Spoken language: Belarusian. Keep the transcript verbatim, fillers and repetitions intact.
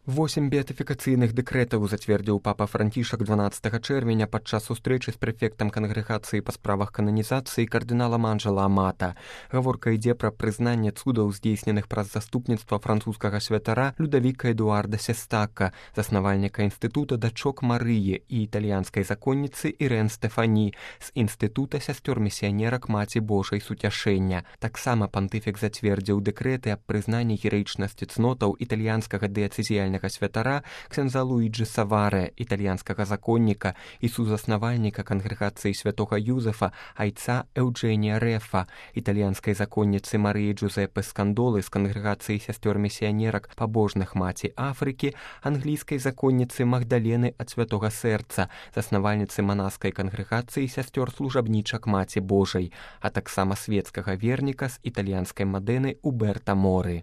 Восем беатыфікацыйных дэкрэтаў зацвердзіў папа Францішак дванаццатага чэрвеня падчас сустрэчы з прэфектам кангрэгацыі па справах кананізацыі кардыналам Анжэла Амата. Гаворка ідзе пра прызнанне цудаў, здзейсненых праз заступніцтва французскага святара Людавіка Эдуарда Сестака, заснавальніка інстытута дачок Марыі і італьянскай законніцы Ірэн Стэфані з інстытута сясцёр-місіянерак Маці Божай Суцяшэння. Таксама пантыфік зацвердзіў дэкрэты аб прызнанні гераічнасці цнотаў італьянскага дыяцэзіяльнага святара ксяндза Луіджы Саварэ, італьянскага законніка і сузаснавальніка кангрэгацыі святога Юзефа айца Эўджэнія Рэфа, італьянскай законніцы Марыі Джузеппе Скандолы з кангрэгацыі сясцёр-місіянерак пабожных Маці Афрыкі, англійскай законніцы Магдалены ад святога сэрца, заснавальніцы манаскай кангрэгацыі сясцёр-служабнічак Маці Божай, а таксама свецкага верніка з італьянскай Мадэны Уберта Моры.